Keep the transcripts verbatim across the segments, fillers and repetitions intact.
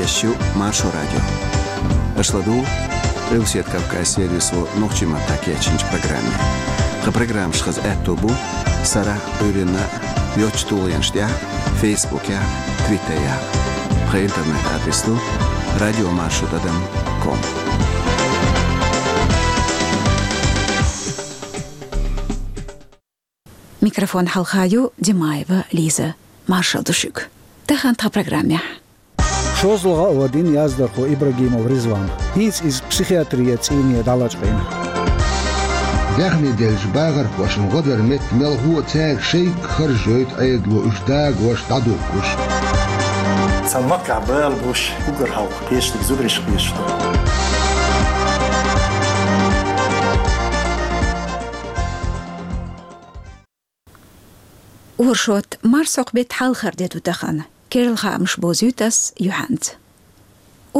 Шу Маршо радио. Аша ладугӀу Къилбаседа Кавказ сервисо нохчийн маттахь кечйинчу программе. Тхан программаш хаза аьтто бу сарахь а, Ӏуьйранна а йоцчу тулгӀенаш тӀехь а, Фейсбукехь а, Твиттерехь а. Тхан интернет-адрес ду радио маршо тӀадам ком. Микрофон хьалха ю Димаева Лиза. Маршалла ду шуьга. Тахана тхан программехь. ШозлагӀа а вадийна яздархо Ибрагимов Ризван. ХӀинца иза психиатрин цӀийне дӀалачкъийна. Даьхни деллачу бахархошна гӀо дар метта мелхо а цаьрга шайга харжа йойту Ӏедало уьш дагош, дӀадуьгуш. Цхьана махкахь бала буш, уггар хьалха кхечаниг зударий кхеташ ду. Оршот, марсхьокху беттан хьалхара де ду тахана. Керла хаамаш бовзуьйту ас юьхьанца.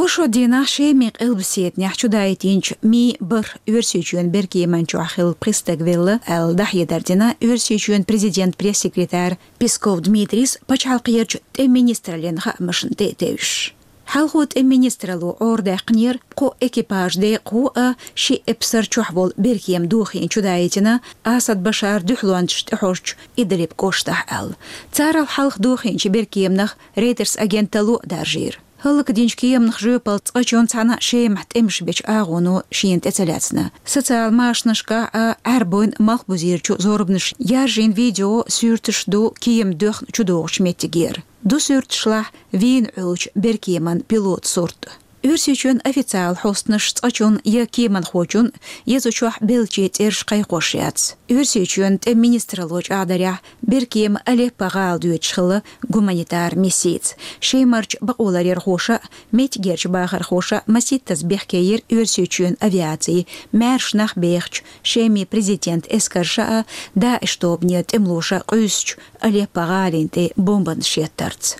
Оршот дийнахь Шеман къилбаседанехь чудаийтинчу мин бархӀ Оьрсийчоьнан беркеман чохь хилла пхи стаг велла аьлла, дӀахьедар дина Оьрсийчоьнан президентан пресс-секретарь Песков Дмитрийс пачхьалкхерчу тӀеман министраллин хаамашна тӀе а тевжаш. Хьалхо тӀеман министралло Ӏорадаьккхинера кхо экипажан декъахо а, ши эпсар чохь волу беркема дохийна чудаийтина Асад Башаран дуьхьалончаша тӀехьожучу Идлиб кӀоштахь аьлла. Царал хьалха дохийначу беркеманах Рейтерс агенталло а даржийра. ХӀаллакдинчу кеманах жоьпалла цкъачунна цхьана Шемахь тӀемаш бечу агӀоно шена тӀе ца лаьцна. Социал машанашкахь а Ӏаьрбойн малхбузерчу зорбанаш яржийна видео, суьрташ ду кема доьхна чудогӀучу меттигера. Ду суьрташлахь вийна Ӏуьллучу беркеман пилотан сурт. Оьрсийчоьнан официалан хьостанаш цкъачунна я кеманхочунна, я цу чохь беллачийн цӀераш кхайкхош яц. Оьрсийчоьнан тӀеман министралло чӀагӀдарехь, беркема Алеппо гӀала доьдуш хилла гуманитар миссица. Шемарчу бакъоларъярхоша а, меттигерчу бахархоша а масийттаза бехке йира Оьрсийчоьнан авиаци, маьрша нах бехачу Шеман президентан эскарша а, ДАИШ тобанан тӀемалоша къуьйсучу Алеппо гӀалин тӀе бомбанаш еттарца.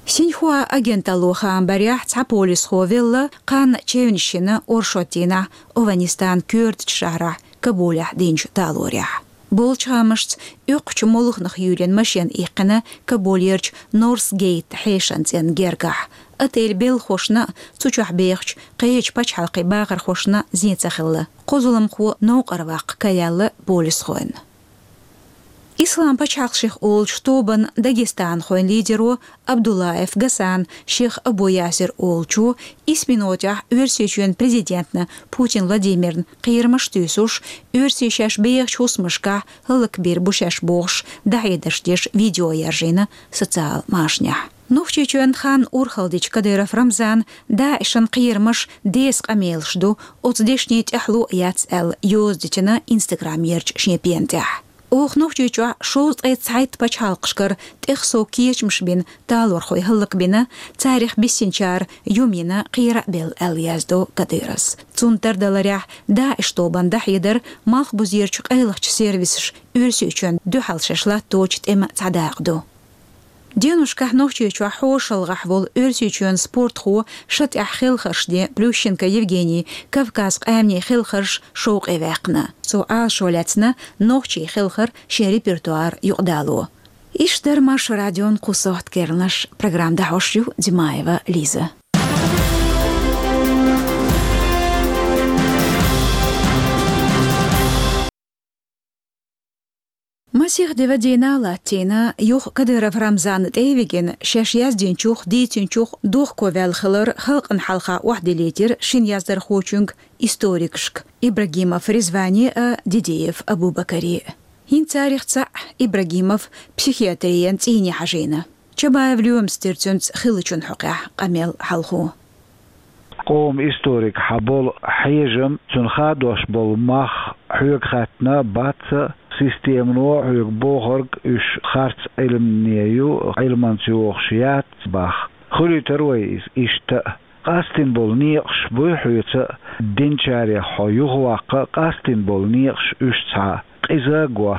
Синьхуа агенталло хаам барехь, цхьа полисхо велла, кханна чевнаш йина оршот дийнахь Афганистанан коьртачу шахьарахь Кабулехь динчу талорехь. Болчу хаамашца, оьккхучу молханах юьйлина машен иккхина Кабулерчу Норс Гейт хьешан цӀенна гергахь. Отель белхахошна а, цу чохь бехачу кхечу пачхьалкхийн бахархошна а зен ца хилла. Кхо зуламхо новкъара ваккха караелла полисхойн. Ислам пачхьалкх шех олучу тобанан дагестанхойн лидеро Абдуллаев Гасан шех Абу Ясир олучо исс минотехь Оьрсийчоьнан президентна Путин Владимирна кхерамаш туьйсуш, оьрсий шаьш бехачу хӀусамашкахь хӀаллакбийр бу шаьш бохуш, дӀахьедарш деш видео яржийна социал машанехь. Нохчийчоьнан хан урхалла дечу Кадыров Рамзана ДАИШан кхерамаш деса къамелаш ду, оцу дешнийн тӀаьхьало а яц аьлла, йоза дитина Инстаграмерчу шен пена тӀехь. Оха Нохчийчохь шовзткъе цхьайтта пачхьалкхашкара тӀех сов кечамаш бина талорхой хӀаллакбина, царах биссинчара юм йина, кхера а белла аьлла яздо Кадыровс. Цунна тардаларехь, ДАИШ тобанна дӀахьедар малхбузерчу къайлахчу сервисаша Оьрсийчоьнна дуьхьал шаьш латточу тӀеман цхьа дакъа ду. Деношкахь Нохчийчохь хьошалгӀахь волу Оьрсийчоьнан спортхо, шатӀехь хелхарш ден Плющенко Евгений Кавказ къаьмнийн хелхарш шовкъе ваьккхина. Цо Ӏалашо лаьцна нохчийн хелхар шен репертуар юкъадало. Иштта дара Маршо радион кху сохьта керланаш. Программа дӀахьош ю Димаева Лиза. Масех де вадийна а латтийна, юха Кадыров Рамзанна тӀе а вигина, шаьш яздинчух, дийцинчух дохковаьлла хилар халкъана хьалха охьадиллийтира шина яздархочуьнга, историкашка Ибрагимов Ризване а, Дидиев Абубакаре а. ХӀинца царах цхьаъ, Ибрагимов, психиатрин цӀийне хьажийна. Чабаев Лоьмас дира цуьнца хиллачун хьокъехь къамел хьалхо. Къоман историкехь болу хьежам, цунна хадош болу мах хьоьга хаьттина бац а, системано хьоьга бохург уьш харц Ӏилмане ю, Ӏилманца йохуш яц боху. Хуьлуьйтур вай иза иштта а. Къастийна болу некъаш буй хьоьца а, динчарех хьо юхаваккха а къастийна болу некъаш уьш цхьа къиза а го.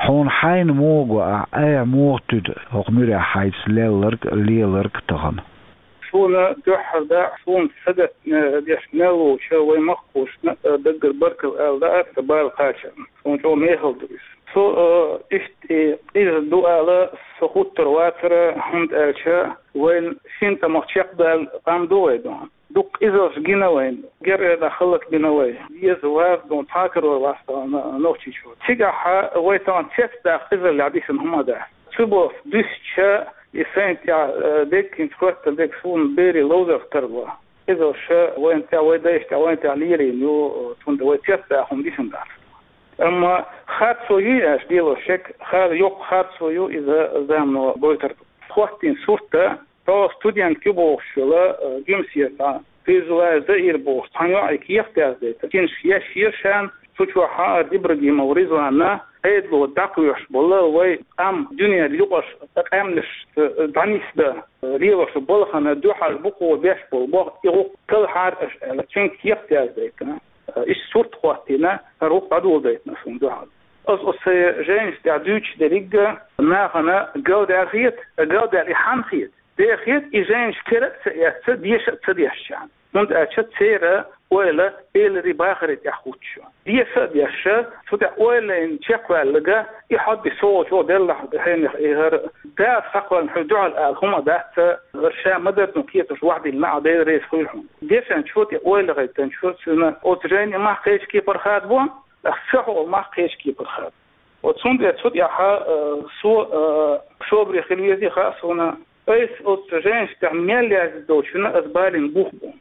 Хьуна хьайна муха го ахь, айхьа муха туьду хӀокху муьрехь хьайца лелларг а, леларг а тахана? Шуна дуьххьара дакъа, шуна сагатдеш мел волчу вайн махкахошна а даггара баркалла ала лаьара сан бала кхачарна. Шуна чӀогӀа мехала ду иза. Цу, э, иштта и къиза ду ала со хуттар вацара, хӀунда аьлча вайн шин тӀамах чекхдаьлла къам ду вай ду. Дукха къизалш гина вайн. Герга халлак бина вай. Еза ваз ду, цхьа карор вац тахана Нохчийчу. Цигахьа вай тахана цецдаккха къизаллехь дисина хӀума дац. Цу боху дуьсча, и сайна тӀехь, э, деггинчу хӀоттан дег суна берийн ловзарх тарло. Къизалша вайн тӀехь, вай дайша тӀехь, вайн тӀехь лелийна ю, цунна вай цецдаккха хӀума дисина дац. Амма харцо ю аьлча, лело шек, хар-, йоккха харцо ю иза замано гойтар. ХӀоттийна сурт, тхо студент ю бохуш йолу, э, Гуьмсера цхьа, Фирзулаев Заир бохуш, цхьана йоӀе кехат яздайтина. Цуьнан еш еш хан, цу чохь хьаара Ибрагимов Ризванна, Ӏедало дӀакхоьхьуш болу вай къам дуьненан юкъарчу къаьмнашца дӀанисдан лелош балхана дуьхьал букъо беш болу боху, и гӀуллакх талхьара аша аьлла, цуьнга кехат яздайтина. Иштта сурт хӀоттийна, хӀара гӀуллакх дӀадоладайтина шуна дуьхьал. Аса оцу сайн жайнаш тӀехь дуьйцуш дерриг а нахана галдаьлла хета, галдаьлла и хьанна хета? Дехет и жайнаш кера а ца эцна, деша а ца дешчарна. ХӀунда аьлча церан ойла эларий бахарий тӀехь хуттуш ю. Деша а дешча, цу тӀехь ойла лайна чекхваьлларг, и хьо-м со волчу деллахь хьенех и хӀара, Дала схьакхоьллина хьуна дуьхьал ала хӀума дац, ша ма-дарра кхеташ вахдиллина а, Дела реза хуьлда хьуна. Дешначо тӀе ойла гӀайттинчо цуьнан оцу жайни мах кхечу кепара хадабо, аса ца хьо мах кхечу кепара хадабо. Оцу хӀунда аьлча цу тӀехь, э, со, э, собаре хила везий хаьа суна, айса оцу жайнаш тӀехь мел яздина долчунна аса балийна бух бу.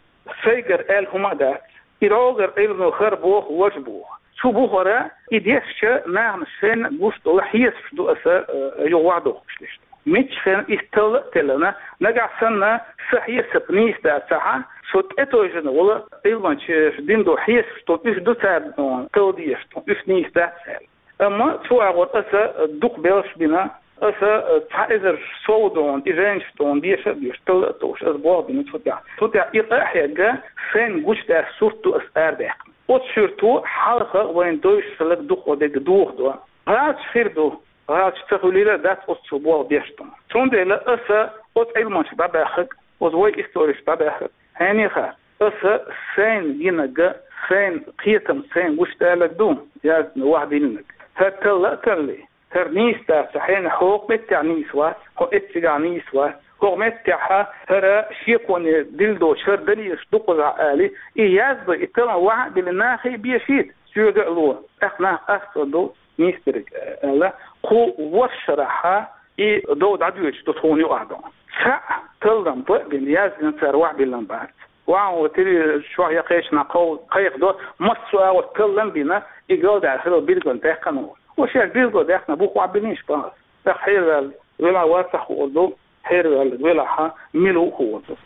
Сайгара аьлла хӀума а дац. И рогара Ӏилма хӀара боху, важа боху. Цу бухара и дешча нахана шайна гуш долу хьесапаш ду аса, э, юха вахдохуш дешна. Мичча хенахь иза талла а теллина, нагахь санна сан хьесап нийса дацахь, со тӀетевжина волу Ӏилманчаша дина долу хьесапаш ду, уьш ду царна талла дезаш, уьш нийса дац аьлла. Амма цу агӀор аса дукха белхаш бина, аса цхьа эзар сов долу, и жайнаш долу, деша а дешна, талла а толлуш, аса болх бина цу тӀехь. Цу тӀехь и къа а хьегна, шайна гучудаьлла сурт ду аса арабаьккхина. Оцу суьрто хьалха вайна девзаш хилларг дукха дерг дохадо. ГӀалаташ хир ду, гӀалаташ ца хуьлийла а дац оццул болх беш ду. Цундела аса оцу Ӏилманчашка дӀабаьхнарг, оцу вай историкашка дӀабаьхнарг, хьенеха, аса сайна гинарг, сайна кхетам, сайна гучудаьлларг ду, яздина, вахдиллинарг. ХӀара талла а таллий, хӀара нийса дац, хьенех, хӀокху меттехь нийса вац, хьо эццигахь нийса вац, хӀокху меттехь хӀара шеконе дилла доцуш хӀара далилаш дукхазахь алий, и яздо, и таллам ваха а диллина, нахе а бешийта, соьга а ло, тӀаккха нах къастор ду, нийса дерг аьлла, кху ворхӀ шарахь и дов дӀадоьдуш ду тхуна юкъахь ду. Цхьаъ таллам бан а бина, яздина цара ваха биллина бац. Ваха ву телевизор чохь я кхечанхьа кхов-, кхайкхадо, массо а агӀор таллам а бина, и галдаьлла хилла билггал даьккхина ву. Ва шаьш билггал даьккхина бух ваха биллинаш бан аса. ТӀаккха хьераваьлла велахь вацахь хуур ду, хьераваьлларг велахь мила ву хуур ду.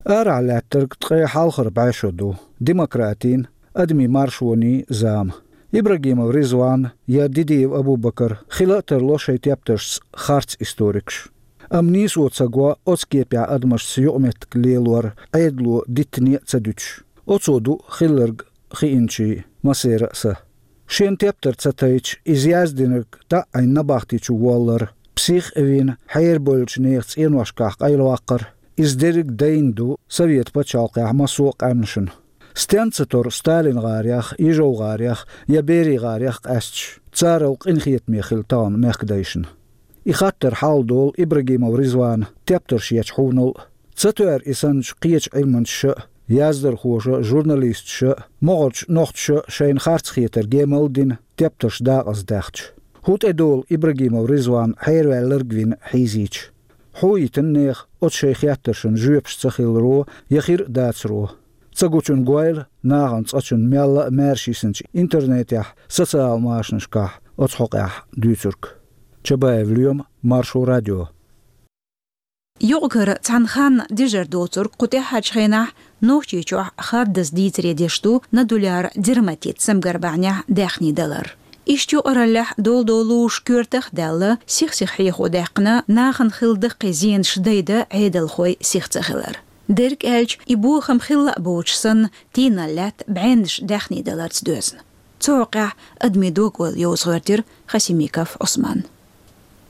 Арахь лаьттарг ткъе хьалхара бӀешо ду. Демократийн, адамийн маршонийн зама. Ибрагимов Ризван я Дидиев Абубакар хила а тарло шайн тептаршца харц историкаш. Амма нийсо ца го оцу кепехь адамашца юкъаметтиг лелор Ӏедало диттане а ца дуьтуш. Оцо ду хилларг хиъначийн массеран а са. Шен тептар ца тайча, иза яздинарг таӀийна набахти чу воллар, псих а вина, хьерабевллачу нехан цӀеношкахь къайлаваккхар, иза дерриг а дайна ду Совет пачхьалкхехь массо а къаьмнашна. Стенца тора Сталин гӀарех, Ижов гӀарех я Берий гӀарех къаьсташ, царал къинхетаме хилла тахана мехкадайшна. И хаттар хьалдолу Ибрагимов Ризвана тептарш ечу хьуьнал а. Ца тоьар и санначу кхечу Ӏилманчаша а, яздархоша а, журналисташа а, могӀарчу нохчаша а шайна харц хетар гемалла а дина, тептарш дакъаздаьхча. ХӀун тӀедолу Ибрагимов Ризван хьераваьлларг вина хьийзийча? Хьо а йитина нехан оцу шайн хеттаршна жоьпаш ца хиларо я хир а дацаро. Ца гучун гойла нахана цкъачунна мелла а маьрша йисинчу интернетехь, социал машанашкахь оцу хьокъехь дуьйцург. Чабаев Лоьма, Маршо радио. Юкъ-кара цхьана ханна дежар доцург кху тӀаьххьарчу хенахь Нохчийчохь хаддаза дийцаре деш ду нодуляр дерматит самгар бахьанехь даьхний далар. Иштта юкъараллехь долу-долуш коьртах а даьлла, сих-сиха хьехо даьккхина, нахана хилла даккхий зенаш дайдан Ӏедалхой сих ца хилар. Дерг аьлча, и бохам хилла а боцуш санна, тийналла лаьтта бӀеннаш даьхний даларца доьзна. Цу хьокъехь адамийн дог-ойла йовза гӀоьртира Хасимиков Ӏусман.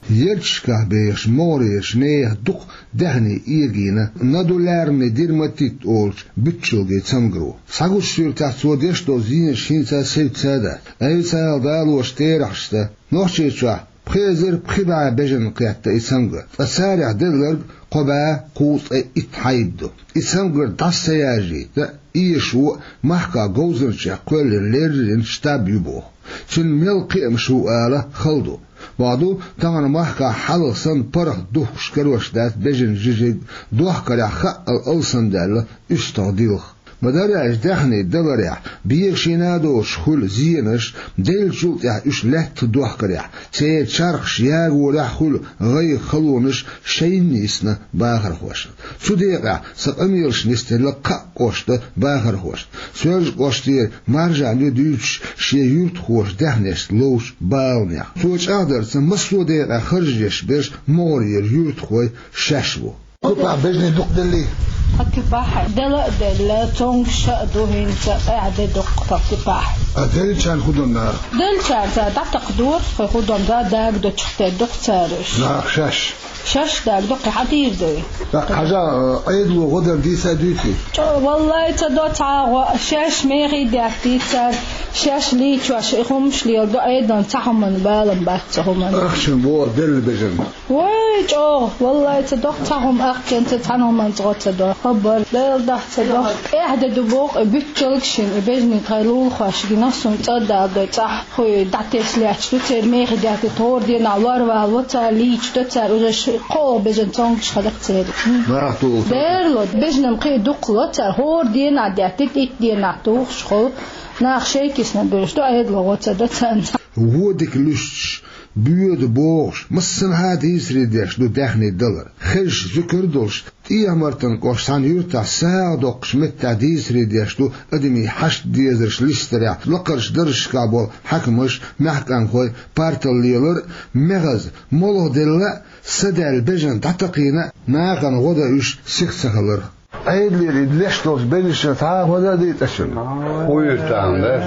Ярташкахь бехаш могӀарерчу нехан дукха даьхни эгийна нодулярный дерматит олучу буьтчалган цамгаро. Схьагучу суьртехь цо деш долу зенаш хӀинца а севцца а дац. Айса ала далочу терахьашца, Нохчийчохь пхи эзар пхи бӀе бежанна кхетта и цамгар, ткъа царах делларг кхо бӀе кхузткъе итт хьайба ду. И цамгар дӀаса ца яржийта, эшаво а, махкахь говзанчех кхоьллина леррина штаб ю боху. Цуьнан мел кхиамаш ву ала хала ду. Боху ду, тахана махкахь хьалха санна паргӀат духкуш карош дац бежанан жижиг, дохкарехь хаъал алсамдаьлла уьстагӀ дилха. Ма-дарра аьлча, даьхни даларехь, бехаш а доцуш хуьлу зенаш, деллачул тӀаьхьа уьш лаьттах дохкарехь, церан чархаш ягорехь а хуьлу гӀайгӀа, халонаш шайна йисна бахархошна. Цу декъехь сан къамелаш нисделла кхаа кӀоштан бахархошна. Соьлжа-кӀоштера Маржан ю дуьйцуш шен юьртахоша даьхнешца ловчу баланех. Цо чӀагӀдарца, массо а декъехь харж еш берш могӀарера юьртахой шаьш бу. Куьпахь бежанийн дукха деллий? Тхан куьпахь дела а делла, цомгуш а ду хӀинца, къаьхьа де дукха тхан куьпахь. А деллачарна хӀун до наха? Деллачарна цара дӀатакхадора, хӀун до, дага дочух тера ду-кх цара уьш. Наха шаьш? Шаьш дага ду-кх, хьан дийр ду? ТӀаккха хьажа, Ӏедало гӀо дар дийца а дуьйций? ЧӀо, валлай, ца до цхьа а гӀо, шаьш мехий деттий цара, шаьш лийчош и хӀумаш леладо, Ӏедална цхьа хӀуманна балам бац цу хӀуманна. Ахчанан боху делла бежанна. Вай, чӀогӀа, валлай, ца до-кх цхьа хӀума, ахчанца цхьана хӀуманца гӀо ца до. Хабар, Дала дахь ца до. ТӀаьхьа де ду боху и буьтчалг шина, и бежанийн тхайн лулахошка гина, суна цӀа а даладой цӀахь, хӀуй дӀатесна лаьтташ ду церан мехий деттий, хӀора дийнахь лор валаво цара, лийчадо цара, уже ш-, кхоалгӀа бежан цомгуш хилла-кх церан. Нах тухуш. Дера ло, бежанна кхин а дукха ло цара, хӀора дийнахь деттийта, итт дийнахь тухуш хуьлу, наха шайн кисана буьллуш ду, Ӏедало гӀо ца до царна. Вон дика луьстуш, боьду бохуш, массанхьа а дийцаре деш ду даьхни далар. Хезаш зуькар а долуш, ТӀехьа-Мартан кӀоштан цхьана юьртахь сагӀа доккхучу меттехь дийцаре деш ду адамийн хьашт-дезарш листарехь, лакхарчу даржашкахь болу хьаькамаш, маьхкамхой партал лелар а, мехаза, молха делла а, са даьлла бежанна дӀатакхийна а, нахана гӀо дан уьш сиха ца хилар. Ӏедалера и леш долчу беллачунна цхьа а гӀо дан а дийцачунна. Хьуьйра тахана дац,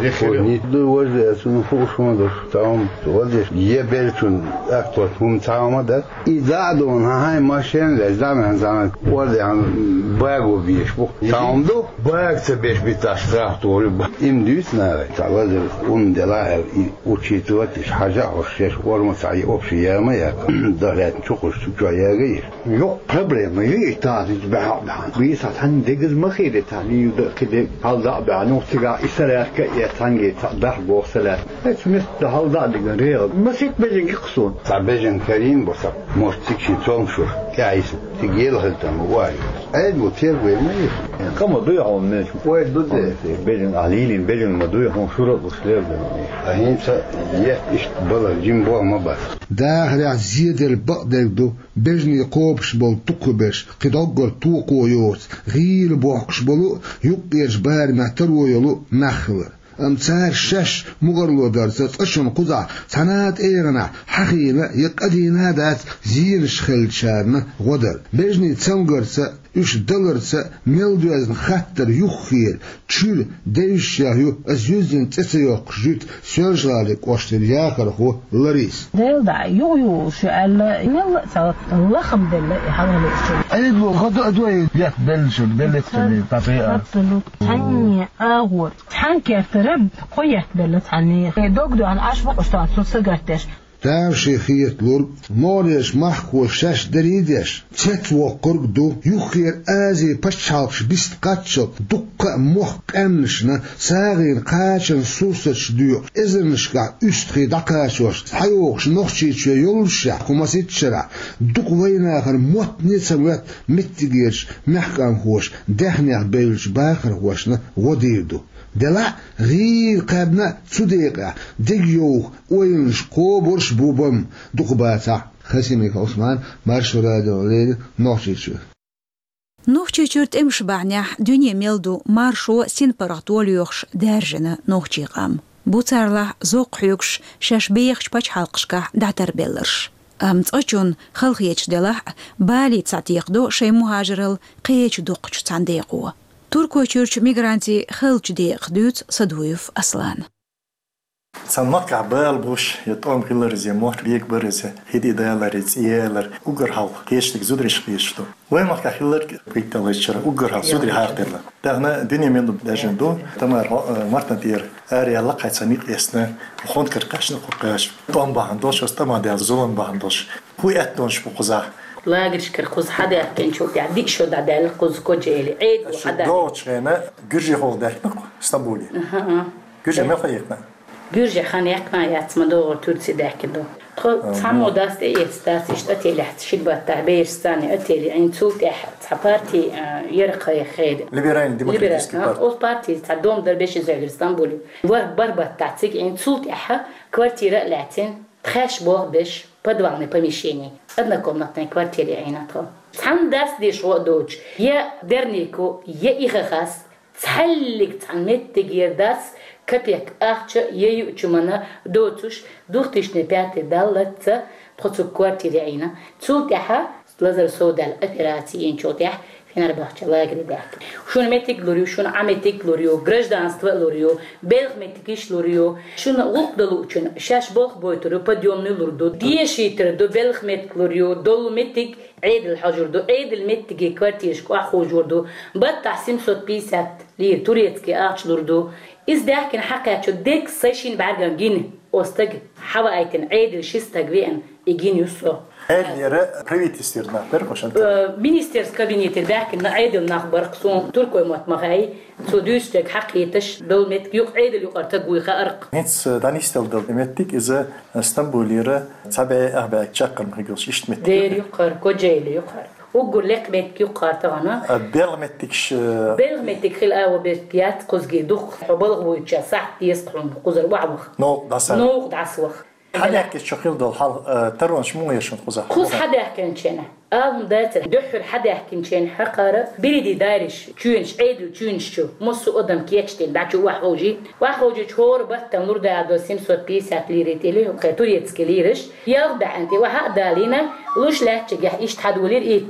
нехо. Ду вожде, цунна хууш ма ду, тахана вожде, е беллачунна акт хӀума цхьа а ма дац. И дӀа а дуьйна, хьан хьайн машен а леш, дӀа а ваьхна, цхьана кӀордехь баго беш бу. Тахана ду, бага ца беш биташ страх тору бу. Им дуьйцу нахе, цхьа лазар хӀума делахь аьлла, и учитывать деш, хьажа а хьожуш, шаьш орма цхьа и общий яма а яьккха, дахлаьцна чу кхуьссуш, чу чохь яга а еш. Йоккха проблема ю и тахана, иза баьхьа а баьхьна. Бийса цхьанна дегаза ма хилира, цхьанна ю дан кхин дерг хьалда а баьхьна, юха цигахь и са лаьрка а эцна, цхьаьнгге цхьа дахь боху са лаьрка. Эцу меттехь хьалда а диган регӀал. Масийтта бежаниг кху суна. Цхьа бежан карийна бу сан, может, цига шен цомгушуш тӀаьхьа йисна, цига ела хила там вай. Ӏедало тергой ма йиша. Кхама дуй хьуна мешан? Ой, ду де. Бежан, а лийна бежан ма дуй хьуна, шура а луш лер ду. А хӀинца етта иштта бала, жима боху ма бац. Дахарехь зеделла бакъдерг ду, бежанийн кхобуш болу дукхахберш, кхин доггара токхо йоцу, гӀийла бохкуш болу а, юккъерчу барамехь таро йолу а нах хилар. Амма цара шаьш мукъарло дарца цкъачунна кхузахь цхьана а тӀегӀанехь хьахийна я къадийна а дац зенаш хиллачарна гӀо дар. Бежанийн цамгарца а, уьш даларца а мел доьзна хаттар юххера, чуьра девзаш ю аса юьззина цӀе ца йоккхуш жуьгту Соьлжа-ГӀалин кӀоштан яхархо Лариса. Дела дӀа, юха юхуш ю аьлла, мелла а цхьа лахам делла и хьалхалерчунна. Ӏедало гӀо дан а дой, етта беллачунна, беллакцунна, тӀе а. Абсолютно. Цхьанне агӀор, цхьана кертара кхо етта белла цхьанне. Э, дог доьхна Ӏаш бу-кх уьш тахана, цунна сагатдеш. Тамашийна хеталург, могӀарерчу махкахоша шаьш дарий а деш, цецвоккхург а ду, юххера Азин пачхьалкхаш биста кхаччалц дуккха а мохк къаьмнашна, сагӀина кхачанан сурсаташ доькъуш, эзарнашкахь уьстагӀий дӀакхачош, схьайогӀуш Нохчийчоь йоллушехь, кху масийтта шарахь дукха вайнахана моттане а ца моьтту меттигерчу маьхкамхоша даьхнех бевллачу бахархошна гӀо дийр ду. Делахь а, гӀийла кхаьбна а, цу декъехь дегайовха ойланаш кхобурш а бу бан, дукха бацахь. Хасимиков Ӏусман, Маршо радиона леррина, Нохчийчуьра. Нохчийчуьра тӀемаш бахьанехь дуьне мел ду маршо, синпаргӀато лоьхуш даьржина нохчийн къам. Бу царлахь зовкх хьоьгуш шаьш бехачу пачхьалкхашкахь дӀатарбелларш. Амма цкъачунна, халахеташ делахь а, балийта схьатекхадо шайн мухӀажаралла кхечу дукхачу цхьана декъо. Туркойчуьрчу мигрантийн хиллачу декъах дуьйцу Садуев Аслана. Цхьан махкахь бала буш, я тӀом хилар из, я мотт бегабар из, хӀиди далар, я цӀи ялар, уггар хьалха кхечдиг зудараш кхечду. Вай махкахь хилларг кхийтталгӀаччара уггар хьалха зударий хьакхаделла. Дахана дуьне мел ду баьжна ду, тамара, э, мартан тӀера ара яьлла кхайца никъ эцна, хонкар кхаьчна кху кхаьча. ТӀом бахьан долуш, аса тӀама даьлла зулам бахьан долуш. ХӀун аьттонаш бу кхузахь? Лагерьшкара кхуза хьадаьхкинчул тӀаьхьа диъ шо дӀадаьлла кхуза Кочаэли Ӏедало хьадаьхкина. ДогӀучу хенахь гуьржехула даьхкина кху Стамбуле. Аха, а. Гуьржех мел хьадаьхкина? Гуьржех хан яьккхина яц, ма догӀу Турци даьхкина ду. Тхо цхьаммо дас тӀеэца дац, иштта отелехь ши баттахь бераш царна отеле Ӏийна, цул тӀаьхьа цхьа парти, а, яра кхайа хеда. Либеральный демократический Либеральный, а, парти. Оцу парти цхьа дом дара бешин зоьгара Стамбуле. Вар-, барбатта цигахь Ӏийна, цул тӀаьхьа квартира а лаьцна, тхаьш болх беш, подвальный помещение, однокомнатный квартире Ӏийна тхо. Цхьана дас деш гӀо а доцуш, я дернико, я ихахас, цхьаьллиг цхьана меттигера дас капек ахча я юучу мана доцуш, двухтысячный пятый даллаца тхо цу квартире Ӏийна. Цул тӀаьхьа лазар совдаьлла операци йинчул тӀаьхьа Фенербахче лагере даьхкина. Шуна меттиг лур ю, шуна Ӏа меттиг лур ю, гражданство а лур ю, белхан меттигаш лур ю. Шуна гӀуллакх дан луучун шаьш болх бойтур ю, подъёмный лур ду, дешийтар ду, белхан меттиг лур ю, долу меттиг Ӏедал хьожур ду, Ӏедал меттиге квартирашка охьаховшор ду, баттахь семьсот пятьдесят лира турецкий ахча лур ду. Иза даьхкина хьакхаьчча дерг сайн шина бӀаьргана гина, оцу стага хьаваийтина Ӏедал ши стаг веана, и гина ю со. Ӏедалера правительствера нах бара хӀокху шен тӀе? Э, министерский кабинетера баьхкина Ӏедал нах бара, суна туркой мотт ма хаьий, цо дуьйцучу дерг хьакхеташ, долу меттиг юкъа Ӏедал юкъара стаг вуй хаьара-кх. ХӀинца, э, дӀанисделла долу меттиг иза, э, Стамбулера цхьа бӀе ах бӀе чаккхарма хир йолуш иштта меттиг. Дера юккъара, Кочаэли юккъара. Уггар лекха меттиг юккъара тахана. А белхан меттигаш, э, Белхан меттиг хила агӀо бертта яц кхузге дукха. Хьо балха вуьйча сахьт деза хьуна кхузара охьаваха. Новкъа дӀасаваха. Новкъа дӀасаваха. Хьадаьхкича хьо хила долу хьал, э, таронаш муха еш хьуна кхузахь? Кхуза хьадаьхкинчу хенахь. Ала хӀума дацара, дуьххьара хьадаьхкинчу хенахь хьакхара, берриге дайраш, чоьнаш, Ӏедал чоьнаш чу, массо а адам кечдина, дӀа чу охьаховшийна. Охьаховшийча хӀора баттана лур даьлла долу семьсот пятьдесят лира тӀе ле, кхе турецкий лираш, ялх бӀаьнна тӀе охьа а далийна, луш лаьттачигахь иштта хьадолийра и.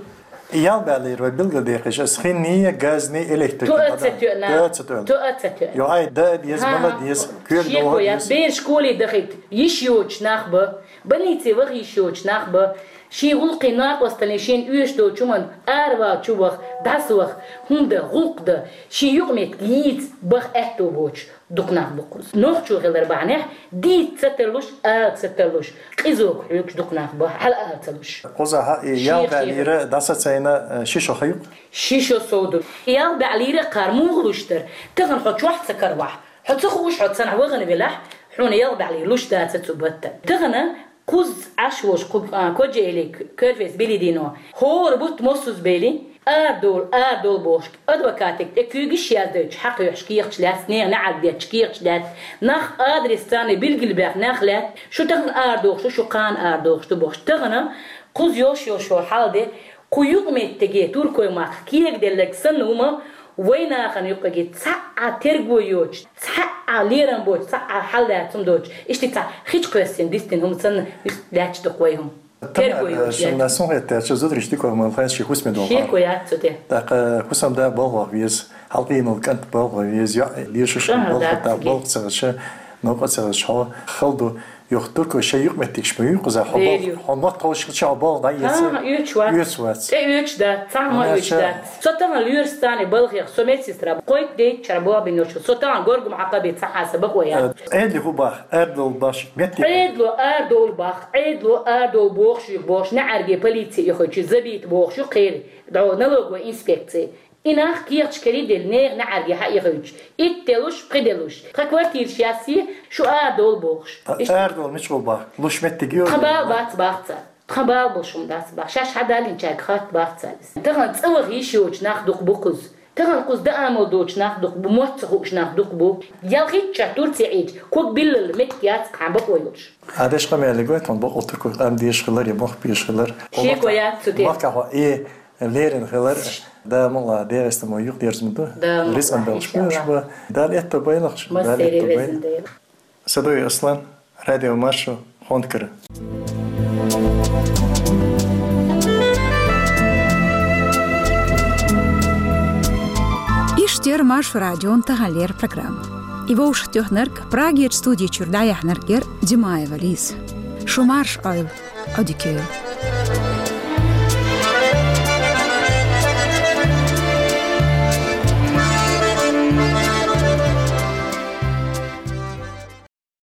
Ялх бӀаьнна лира вай билгалдекъаш, аса хинний, газний, электрикий Тоа ца тоьна. Тоа ца тоьна. Тоа ца тоьна. Йо, ай, да деза, ХӀа, мала деза, коьрта шеко догӀа яц, деза. Бер школе дахийта йиш йоцуш нах ба, больнице ваха йиш йоцуш нах ба, шен гӀуллакхийн накъосталлин шена оьшуш долчу хӀуманна аравала чу ваха, дӀасаваха, хӀума дан, гӀуллакх дан, шен юкъаметтиг йийца баха аьтто боцуш дукха нах бу кхуза. Нохчо хилар бахьанехь, дийца ца тарлуш, ала ца тарлуш, къизога хьоьгуш дукха нах бу, хьала ала ца луш. Кхузахь и ялх бӀаьнна лира дӀасацийна, э, ши шо ха ю-кх? Ши шо сов ду. Ялх бӀаьнна лира кхара муха луш дара? Тахана хьо чохь ца каравахь, хьо ца хууш, хьо цхьанхьа вахана велахь, хьуна ялх бӀаьнна лира луш дацара цу баттана. Тахана кхуза Ӏаш волуш кху, а, Кочаэли Кёрфез Белидино хӀора бутт массаза бели, арадовла, арадовла бохуш, адвокатега тӀе куьйгаш яздойтуш хьакхоьхьуш кехаташ лаьцна, нехан неӀарга детташ кехаташ лаьцна, нах адрес царна билгалбаьхна нах лаьтта, шу тахана арадохуш ду, шу кхана арадохуш ду бохуш. Тахана кхуза йолуш йолу хьал де, кху юкъаметтиге туркой-махках кегаделларг санна хӀума вай нахана юккъе цхьа а терго йоцуш, цхьа а лерам боцуш, цхьа а хьал лаьцна хӀума доцуш, иштта цхьа хи чу кхоьссина дистина хӀума санна, лаьтташ ду-кх вай хӀума. Тамара, терго йоцуш шуна лаьтташ. Сан хетарца, зударий дика хӀума хилла хезча, хӀусаме долу хьал. Шеко яц цу тӀе. ТӀаккха хӀусамда балха ваха веза, хьалкъийна волу кӀант балха ваха веза, йоӀ лийшаш балха ца хилча, новкъа ца хилча хьо хала ду. Юха туркой шайн юкъаметтигаш ма ю кхузахь, хьо балха, хьо мотт ховшалча хьо балха дӀаэца. ХӀан, оьцуш вац. Оьцуш вац. ТӀе оьцуш дац, цхьа хӀума оьцуш дац. Со тахана лоьраш царна балхех, со медсестра, кхойтта дейтта шара болх бина йолуш, со тахана горгам хьакхаби цхьа хьаса бакъо яц. Э, Ӏедале хӀун боху, арадовла боху меттиг? Ӏедало арадовла боху, Ӏедало арадовла бохуш ю бохуш, неӀарге полици ихуьйтуш, забита бохуш ю кхеран, дӀо налоговой инспекци. И нах кехаташ карийделла, нехан неӀарге хьаихуьйтуш. Итт делуш, пхи делуш. Тхан квартираш яссе, шу арадовла бохуш. А, иштта арадовла мича гӀо боху? Луш меттиг ю? Тхан бала бац боху цара. Тхан бала болуш хӀума дац боху. Шаьш хьадаллинчаьрга хатта боху цара иза. Тахана цӀа ваха йиш йоцуш нах дукха бу кхуза. Тахана кхуза даамал доцуш нах дукха бу, мотт ца хууш нах дукха бу. Ял хӀиттачохь Турци Ӏийча, ког биллал меттиг яц кхана бакъо йолуш. Ӏадеш къамелиг вай тхуна бакъо туркой къам дезаш хилар я мохк безаш хилар. Шеко яц цу тӀе. Махкахь ваха и лерина хилар, Дала мукъ лахь, дегӀаста мо юкъ дерза ма ду. Дала мукъ лахь, рицкъан белхаш иншаллахӀ. Дала аьтто байлахь, Дала аьтто байлахь. Садоев Аслан, Радио Маршо, Хонкара. Иштта яра Маршо радион таханлера программа. И вовшахтоьхнарг, Прагерча студи чуьра дӀаяьхьнарг яр Димаева Лиза. Шу марша Ӏойла, Ӏодика йойла.